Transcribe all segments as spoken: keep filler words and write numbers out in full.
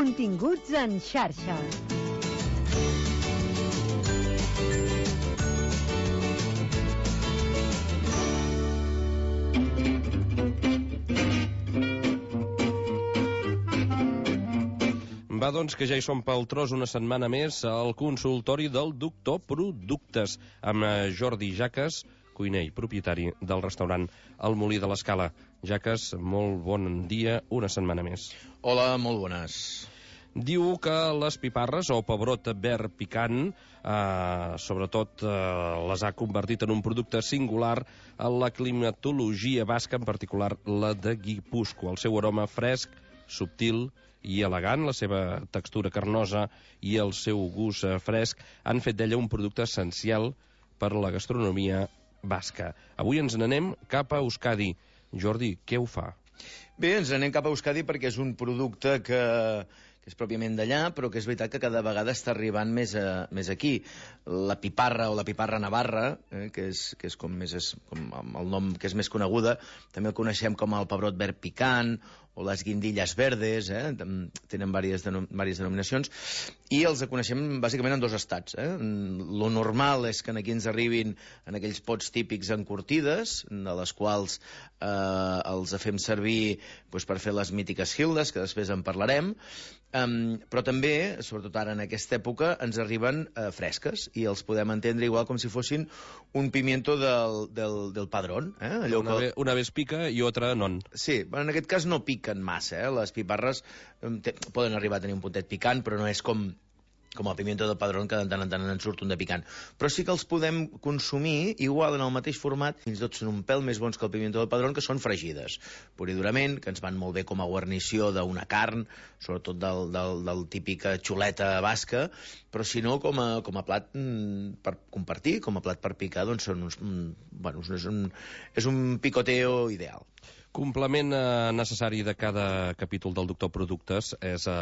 Continguts en xarxa. Va, doncs, que ja hi som pel tros una setmana més al consultori del Doctor Productes amb Jordi Jaques, cuiner i propietari del restaurant El Molí de l'Escala. Jaques, molt bon dia, una setmana més. Hola, molt bones. Diu que les piparres o pebrot verd picant, eh, sobretot eh, les ha convertit en un producte singular a la climatologia basca, en particular la de Guipúscoa. El seu aroma fresc, subtil i elegant, la seva textura carnosa i el seu gust fresc han fet d'ella un producte essencial per la gastronomia basca. Avui ens n'anem cap a Euskadi. Jordi, què ho fa? Bé, ens n'anem cap a Euskadi perquè és un producte que, que és pròpiament d'allà, però que és veritat que cada vegada està arribant més, a, més aquí. La piparra o la piparra navarra, eh, que, és, que és com més és, com el nom que és més coneguda, també el coneixem com el pebrot verd picant o les guindilles verdes, eh? Tenen diverses, denom diverses denominacions, i els coneixem bàsicament en dos estats. Eh? Lo normal és que aquí ens arribin en aquells pots típics encurtides, de les quals eh, els fem servir doncs, per fer les mítiques hildes, que després en parlarem, um, però també, sobretot ara en aquesta època, ens arriben eh, fresques, i els podem entendre igual com si fossin un pimiento del, del, del padrón. Eh? Allò una, que... ve, una vez pica i otra non. Sí, en aquest cas no pica massa, eh? Les piparres eh, poden arribar a tenir un puntet picant, però no és com, com el pimiento del padrón, que de tant en tant en surt un de picant. Però sí que els podem consumir igual en el mateix format, fins i tot són un pèl més bons que el pimiento del padrón, que són fregides, pur i durament, que ens van molt bé com a guarnició d'una carn, sobretot del, del, del típica xuleta basca, però si no, com a, com a plat mm, per compartir, com a plat per picar, doncs són uns, mm, bueno, és un, és un picoteo ideal. Complement eh, necessari de cada capítol del Doctor Productes és eh,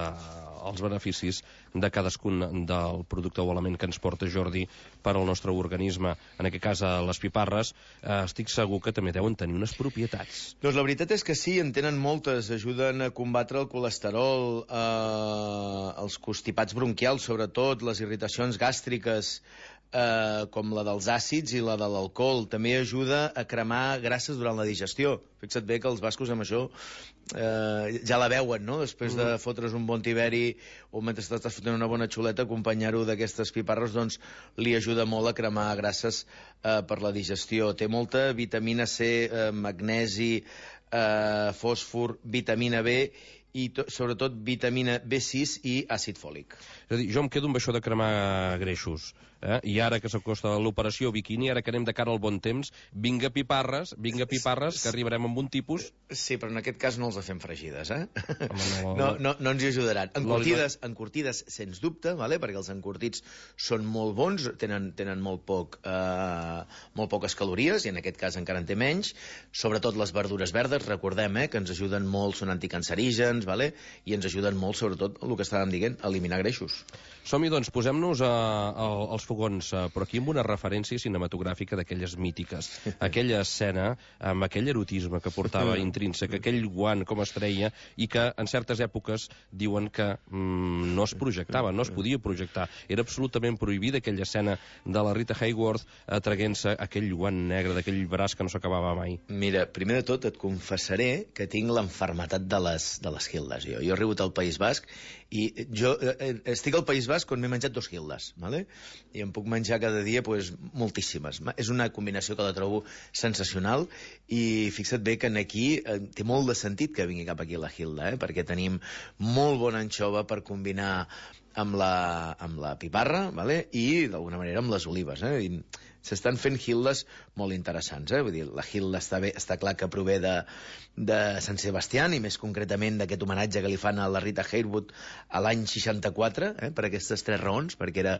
els beneficis de cadascun del producte o element que ens porta Jordi per al nostre organisme. En aquest cas, eh, les piparres, eh, estic segur que també deuen tenir unes propietats. Doncs la veritat és que sí, en tenen moltes. Ajuden a combatre el colesterol, eh, els constipats bronquials, sobretot, les irritacions gàstriques, Eh, com la dels àcids i la de l'alcohol. També ajuda a cremar grasses durant la digestió. Fixa't bé que els bascos amb això eh, ja la veuen, no? Després de fotre's un bon tiberi o mentre estàs fotent una bona xuleta, acompanyar-ho d'aquestes piparres, doncs li ajuda molt a cremar grasses eh, per la digestió. Té molta vitamina C, eh, magnesi, eh, fòsfor, vitamina B i sobretot vitamina B sis i àcid fòlic. És a dir, jo em quedo amb això de cremar greixos, eh? I ara que s'acosta l'operació bikini, ara que anem de cara al bon temps, vinga piparres, vinga piparres, que arribarem amb un tipus... Sí, però en aquest cas no els fem fregides, eh? Home, no... No, no, no ens hi ajudaran. Encurtides, encurtides sens dubte, vale? Perquè els encurtits són molt bons, tenen, tenen molt, poc, eh, molt poques calories, i en aquest cas encara en té menys, sobretot les verdures verdes, recordem, eh, que ens ajuden molt, són anticancerígens, vale? I ens ajuden molt, sobretot, el que estàvem dient, a eliminar greixos. Som-hi, doncs, posem-nos als fogons, a, però aquí amb una referència cinematogràfica d'aquelles mítiques. Aquella escena amb aquell erotisme que portava intrínsec, aquell guant com es treia, i que en certes èpoques diuen que mm, no es projectava, no es podia projectar. Era absolutament prohibida aquella escena de la Rita Hayworth traguent-se aquell guant negre d'aquell braç que no s'acabava mai. Mira, primer de tot et confessaré que tinc l'enfermetat de les, de les hildes. Jo, jo he arribat al País Basc i jo eh, estic al País Basc on m'he menjat dos hildes, ¿vale? I em puc menjar cada dia pues, moltíssimes. És una combinació que la trobo sensacional, i fixa't bé que aquí eh, té molt de sentit que vingui cap aquí la hilda, eh? Perquè tenim molt bona anxova per combinar amb la, amb la piparra, vale? I d'alguna manera amb les olives, eh? I s'estan fent hildes molt interessants, eh? Vull dir, la hilda està, bé, està clar que prové de, de Sant Sebastián, i més concretament d'aquest homenatge que li fan a la Rita Hayworth a l'any seixanta-quatre, eh? Per aquestes tres raons, perquè era,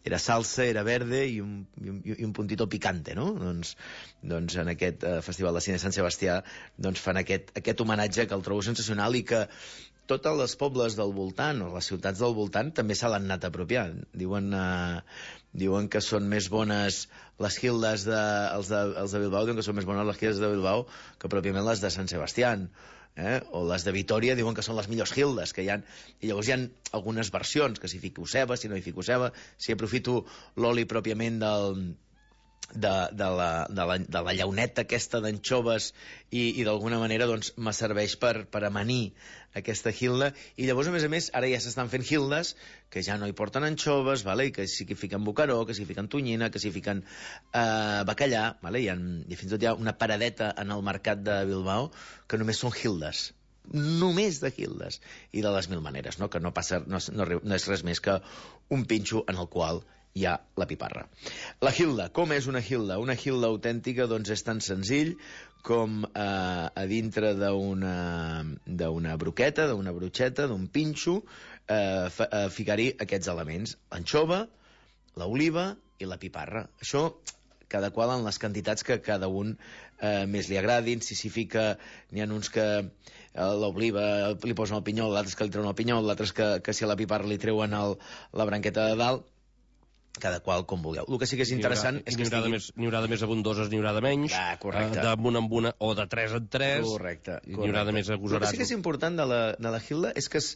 era salsa, era verde i un, i un, i un puntito picante, no? Doncs, doncs en aquest eh, Festival de Cine Sant Sebastià doncs fan aquest, aquest homenatge que el trobo sensacional, i que tots els pobles del voltant, o les ciutats del voltant, també se l'han anat apropiant. Diuen, eh, diuen que són més bones les hildes de, els de, els de Bilbao, diuen que són més bones les hildes de Bilbao que pròpiament les de Sant Sebastián. eh? O les de Vitòria diuen que són les millors Hildes que hi ha. I llavors hi ha algunes versions, que si fico ceba, si no hi fico ceba, si aprofito l'oli pròpiament del... De, de, la, de, la, de la llauneta aquesta d'anxoves i, i d'alguna manera doncs me serveix per, per amanir aquesta Hilda. I llavors, a més a més, ara ja s'estan fent Hildes que ja no hi porten anxoves, vale? I que sí que fiquen bocaró, que sí que fiquen tonyina, que sí que fiquen eh, bacallà, vale? I, en, i fins i tot hi ha una paradeta en el mercat de Bilbao que només són Hildes, només de Hildes i de les mil maneres, no? Que no, passa, no, no, no és res més que un pinxo en el qual hi ha la piparra. La Hilda, com és una Hilda? Una Hilda autèntica doncs és tan senzill com eh, a dintre d'una d'una broqueta, d'una brotxeta, d'un pinxo, eh, eh, ficar-hi aquests elements: l'anxova, l'oliva i la piparra. Això cada qual en les quantitats que cada un eh, més li agradin. Si s'hi fica, n'hi ha uns que eh, l'oliva li posen el pinyol, l'altres que li treuen el pinyol, l'altres que, que si a la piparra li treuen el, la branqueta de dalt. Cada qual com vulgueu. El que sí que és interessant és que n'hi haurà, estigui... N'hi haurà de més abundoses, n'hi haurà de menys, ah, correcte. D'amunt en una, o de tres en tres, correcte, correcte. N'hi haurà de més agosarats. El que sí que és important de la, de la Hilda és que es,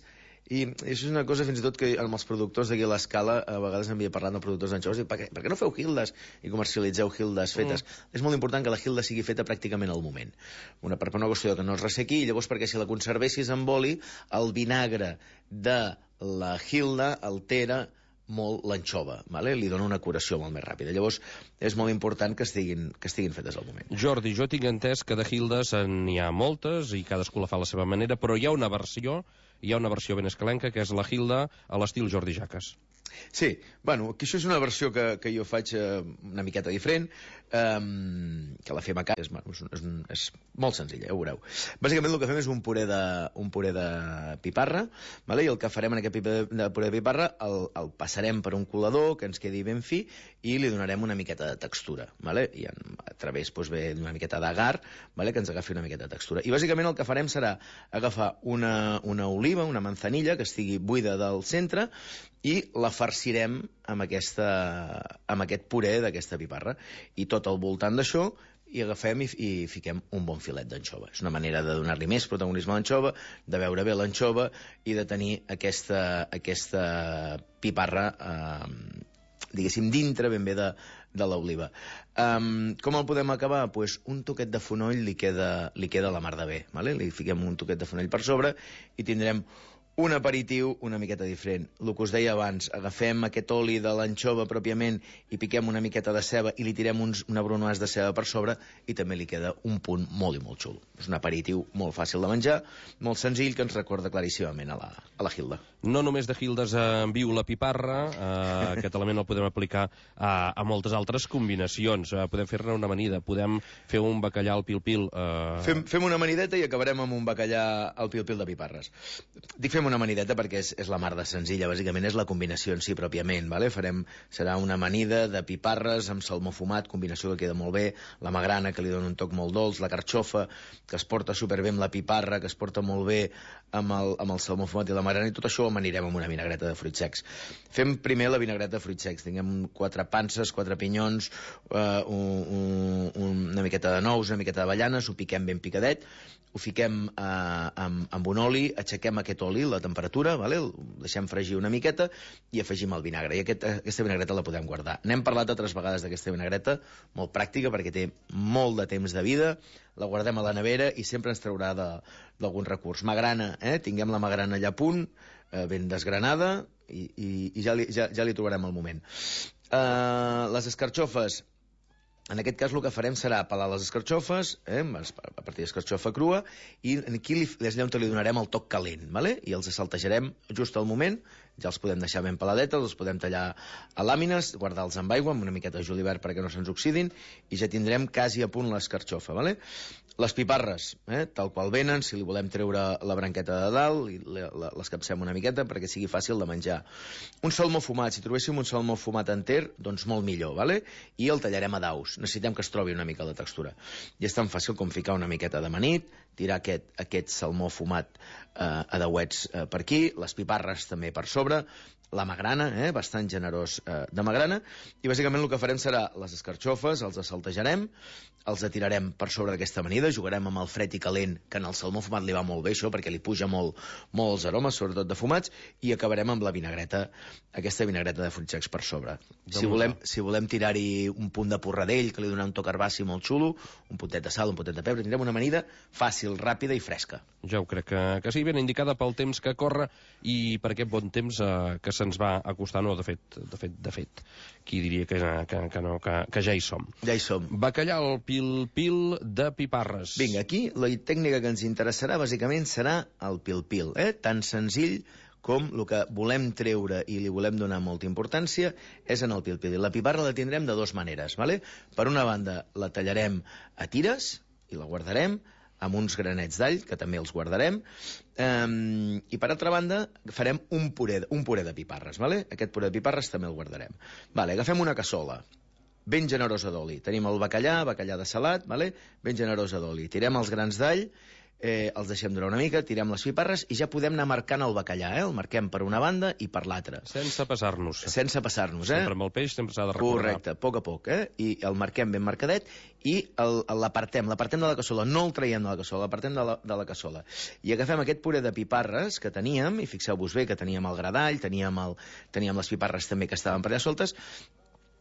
i això és una cosa fins i tot que amb els productors d'aquí a l'Escala a vegades m'havia parlat de productors d'anxoves i per què, per què no feu Hildes i comercialitzeu Hildes fetes? Mm. És molt important que la Hilda sigui feta pràcticament al moment. Una, per una qüestió que no es ressequi, i llavors perquè si la conservessis amb oli, el vinagre de la Hilda altera molt l'anxova, vale? Li dona una curació molt més ràpida. Llavors, és molt important que estiguin, que estiguin fetes al moment. Jordi, jo tinc entès que de Hildes n'hi ha moltes i cadascú la fa a la seva manera, però hi ha una versió, hi ha una versió ben escalenca, que és la Hilda a l'estil Jordi Jaques. Sí, bueno, que això és una versió que, que jo faig eh, una miqueta diferent, eh, que la fem a casa, és, és, és molt senzilla, ja ho veureu. Bàsicament el que fem és un puré de, un puré de piparra, vale? I el que farem en aquest puré de, puré de piparra el, el passarem per un colador que ens quedi ben fi i li donarem una miqueta de textura, vale? I en, a través doncs, ve una miqueta d'agar, vale? Que ens agafi una miqueta de textura. I bàsicament el que farem serà agafar una, una oliva, una manzanilla que estigui buida del centre i la farcirem amb, aquesta, amb aquest puré d'aquesta piparra. I tot al voltant d'això i agafem i, i fiquem un bon filet d'anxova. És una manera de donar-li més protagonisme a l'anxova, de veure bé l'anxova i de tenir aquesta, aquesta piparra, eh, diguéssim, dintre ben bé de, de l'oliva. Um, com el podem acabar? Pues un toquet de fonoll li queda, li queda la mar de bé. Vale? Li fiquem un toquet de fonoll per sobre i tindrem un aperitiu una miqueta diferent. El que us deia abans, agafem aquest oli de l'anxova pròpiament i piquem una miqueta de ceba i li tirem uns, una bronoise de ceba per sobre i també li queda un punt molt i molt xulo. És un aperitiu molt fàcil de menjar, molt senzill, que ens recorda claríssimament a la, a la Hilda. No només de Hildes en viu la piparra, eh, aquest element el podem aplicar a, a moltes altres combinacions. Eh, podem fer-ne una amanida, podem fer un bacallà al pil-pil. Eh... Fem, fem una amanideta i acabarem amb un bacallà al pil-pil de piparres. Dic fem una amanideta perquè és, és la mar de senzilla, bàsicament és la combinació en si pròpiament, vale? Farem, serà una amanida de piparres amb salmó fumat, combinació que queda molt bé, la magrana que li dona un toc molt dolç, la carxofa que es porta superbé amb la piparra, que es porta molt bé amb el, amb el salmó fumat i la magrana, i tot això ho amanirem amb una vinagreta de fruits secs. Fem primer la vinagreta de fruits secs, tinguem quatre panses, quatre pinyons, eh, un, un, una miqueta de nous, una miqueta d'avellanes, ho piquem ben picadet, ho fiquem eh, amb, amb un oli, aixequem aquest oli, la temperatura, vale? El deixem fregir una miqueta i afegim el vinagre. I aquest, aquesta vinagreta la podem guardar. N'hem parlat altres vegades d'aquesta vinagreta, molt pràctica perquè té molt de temps de vida, la guardem a la nevera i sempre ens traurà d'algun recurs. Magrana, eh? Tinguem la magrana allà a punt, eh, ben desgranada, i, i, i ja, li, ja, ja li trobarem el moment. Eh, les escarxofes, en aquest cas el que farem serà pelar les escarxofes, eh, a partir d'escarxofa crua, i aquí li, és allà on li donarem el toc calent, vale? I els saltejarem just al moment, ja els podem deixar ben peladetes, els podem tallar a làmines, guardar-los amb aigua, amb una miqueta de julivert perquè no se'ns oxidin, i ja tindrem quasi a punt l'escarxofa, vale? Les piparres, eh, tal qual venen, si li volem treure la branqueta de dalt, les capcem una miqueta perquè sigui fàcil de menjar. Un salmó fumat, si trobéssim un salmó fumat enter, doncs molt millor, vale? I el tallarem a daus. Necessitem que es trobi una mica la textura. I és tan fàcil com ficar una miqueta d'amanit, tirar aquest, aquest salmó fumat eh, a dauets eh, per aquí, les piparres també per sobre, la magrana, eh, bastant generós eh, de magrana, i bàsicament el que farem serà les escarxofes, els assaltejarem, els atirarem per sobre d'aquesta amanida, jugarem amb el fred i calent, que en el salmó fumat li va molt bé això, perquè li puja molt, molts aromes, sobretot de fumats, i acabarem amb la vinagreta, aquesta vinagreta de fruits secs per sobre. Si volem, si volem tirar-hi un punt de porradell, que li dona un toc herbaci molt xulo, un puntet de sal, un puntet de pebre, tindrem una amanida fàcil, ràpida i fresca. Ja ho crec que, que sí, ben indicada pel temps que corre i per aquest bon temps eh, que se'ns va acostar, no, de fet, de fet, de fet, qui diria que, que, que no, que, que ja hi som. Ja hi som. Bacallà al pil-pil de piparres. Vinga, aquí la tècnica que ens interessarà bàsicament serà el pil-pil, eh? Tan senzill com el que volem treure i li volem donar molta importància és en el pil-pil. I la piparra la tindrem de dues maneres, ¿vale? Per una banda, la tallarem a tires i la guardarem, amb uns granets d'all, que també els guardarem, um, i per altra banda farem un puré, un puré de piparres, ¿vale? Aquest puré de piparres també el guardarem. Vale, agafem una cassola ben generosa d'oli. Tenim el bacallà, bacallà de salat, ¿vale? Ben generosa d'oli. Tirem els grans d'all, eh, els deixem durar una mica, tirem les piparres i ja podem anar marcant el bacallà, eh? El marquem per una banda i per l'altra. Sense passar-nos. Sense passar-nos, eh? Sempre amb el peix sempre s'ha de recordar. Correcte, a poc a poc, eh? I el marquem ben marcadet i l'apartem, l'apartem de la cassola, no el traiem de la cassola, l'apartem de, la, de la cassola. I agafem aquest puré de piparres que teníem, i fixeu-vos bé que teníem el gra d'all, teníem, el, teníem les piparres també que estaven per allà soltes,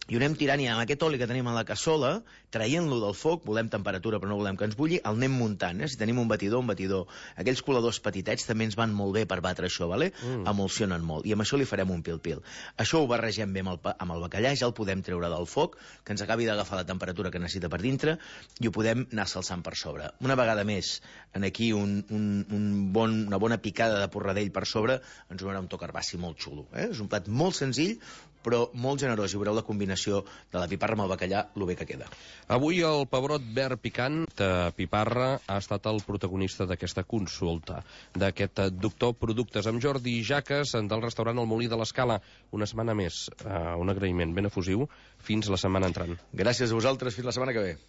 i ho anem tirant i amb aquest oli que tenim a la cassola, traient-lo del foc, volem temperatura però no volem que ens bulli, el anem muntant, eh? Si tenim un batidor, un batidor. Aquells coladors petitets també ens van molt bé per batre això, vale? Mm. Emulsionen molt, i amb això li farem un pil-pil. Això ho barregem bé amb el, amb el bacallà, ja el podem treure del foc, que ens acabi d'agafar la temperatura que necessita per dintre, i ho podem anar salsant per sobre. Una vegada més, en aquí un, un, un bon, una bona picada de porradell per sobre, ens donarà un toc herbaci molt xulo. Eh? És un plat molt senzill, però molt generós, i veureu la combinació de la piparra amb el bacallà, lo bé que queda. Avui el pebrot verd picant de piparra ha estat el protagonista d'aquesta consulta, d'aquest doctor Productes amb Jordi Jaques del restaurant El Molí de l'Escala. Una setmana més, uh, un agraïment ben efusiu. Fins la setmana entrant. Gràcies a vosaltres, fins la setmana que ve.